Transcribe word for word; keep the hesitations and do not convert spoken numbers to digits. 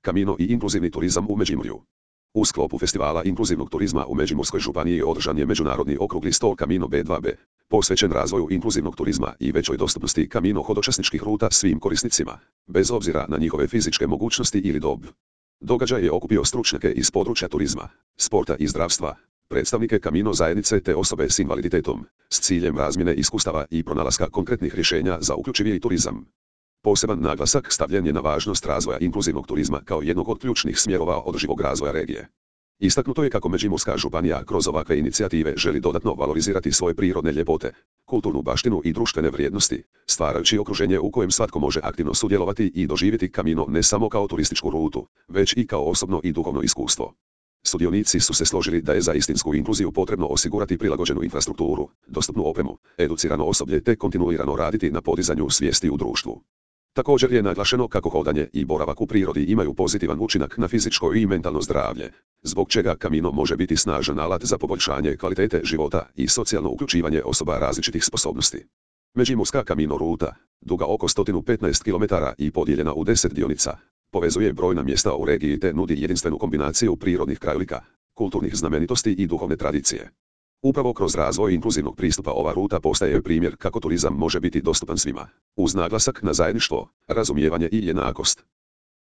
Camino i inkluzivni turizam u Međimurju. U sklopu festivala inkluzivnog turizma u Međimurskoj županiji održan je međunarodni okrugli stol Camino B dva B, posvećen razvoju inkluzivnog turizma i većoj dostupnosti Camino hodočasničkih ruta svim korisnicima, bez obzira na njihove fizičke mogućnosti ili dob. Događaj je okupio stručnjake iz područja turizma, sporta i zdravstva, predstavnike Camino zajednice te osobe s invaliditetom, s ciljem razmjene iskustava i pronalaska konkretnih rješenja za uključiviji turizam. Poseban naglasak stavljen je na važnost razvoja inkluzivnog turizma kao jednog od ključnih smjerova održivog razvoja regije. Istaknuto je kako Međimurska županija kroz ovakve inicijative želi dodatno valorizirati svoje prirodne ljepote, kulturnu baštinu i društvene vrijednosti, stvarajući okruženje u kojem svatko može aktivno sudjelovati i doživjeti Camino ne samo kao turističku rutu, već i kao osobno i duhovno iskustvo. Sudionici su se složili da je za istinsku inkluziju potrebno osigurati prilagođenu infrastrukturu, dostupnu opremu, educirano osoblje te kontinuirano raditi na podizanju svijesti u društvu. Također je naglašeno kako hodanje i boravak u prirodi imaju pozitivan učinak na fizičko i mentalno zdravlje, zbog čega Camino može biti snažan alat za poboljšanje kvalitete života i socijalno uključivanje osoba različitih sposobnosti. Međimurska Camino ruta, duga oko sto petnaest kilometara i podijeljena u deset dionica, povezuje brojna mjesta u regiji te nudi jedinstvenu kombinaciju prirodnih krajolika, kulturnih znamenitosti i duhovne tradicije. Upravo kroz razvoj inkluzivnog pristupa ova ruta postaje primjer kako turizam može biti dostupan svima, uz naglasak na zajedništvo, razumijevanje i jednakost.